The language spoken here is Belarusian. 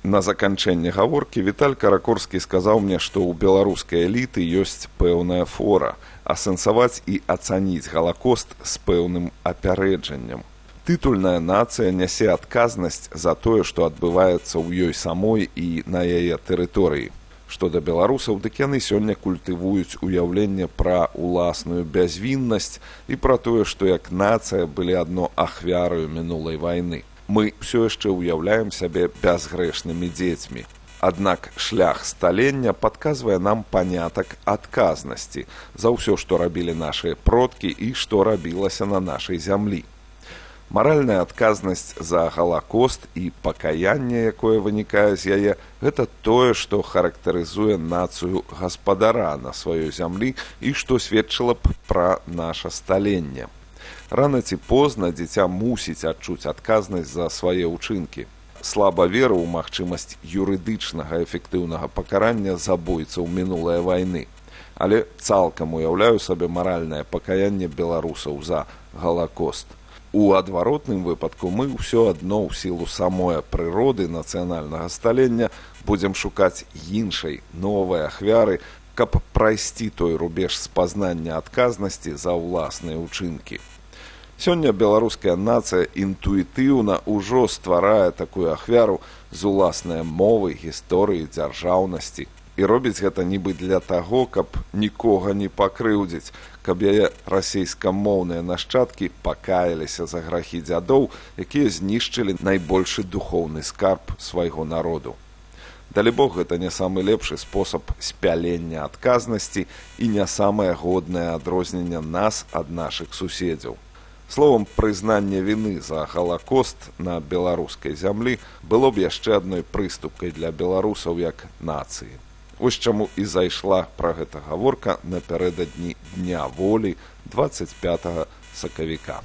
На заканчэнне гаворкі Віталь Каракорскі сказаў мне, што ў беларускай эліты ёсць пэўная фора асэнсаваць і ацаніць Галакост з пэўным апярэджаннем. Тытульная нацыя нясе адказнасць за тое, што адбываецца ў ёй самой і на яе тэрыторыі. Што да беларусаў, дык яны сёння культывуюць уяўленне пра уласную бязвіннасць і пра тое, што як нацыя былі адно ахвяраю мінулай вайны. Мы ўсё яшчэ ўяўляем сябе бязгрэшнымі дзецьмі. Аднак шлях сталення падказвае нам панятак адказнасці за ўсё, што рабілі нашыя продкі і што рабілася на нашай зямлі. Маральная адказнасць за Галакост і пакаянне, якое вынікае з яе, гэта тое, што характарызуе нацыю гаспадара на сваёй зямлі і што сведчыла б пра наша сталенне. Рана ці позна дзіця мусіць адчуць адказнасць за свае ўчынкі. Слаба веру ў магчымасць юрыдычнага эфектыўнага пакарання забойцаў мінулай вайны. Але цалкам уяўляю сабе маральнае пакаянне беларусаў за Галакост. У адваротным выпадку мы ўсё адно ў сілу самой прыроды нацыянальнага сталення будзем шукаць іншай, новай ахвяры, каб прайсці той рубеж спазнання адказнасці за ўласныя ўчынкі. Сёння беларуская нацыя інтуітыўна ўжо стварае такую ахвяру з уласнай мовы, гісторыі, дзяржаўнасці. І робіць гэта нібы для таго, каб нікога не пакрыўдзіць, каб яе расейскамоўныя нашчадкі пакаяліся за грахі дзядоў, якія знішчылі найбольшы духоўны скарб свайго народу. Далібог, гэта не самы лепшы спосаб спялення адказнасці і не самае годнае адрозненне нас ад нашых суседзяў. Словам, прызнанне віны за Галакост на беларускай зямлі было б яшчэ адной прыступкай для беларусаў як нацыі. Вось чаму і зайшла пра гэта гаворка напярэдадні Дня волі 25 сакавіка.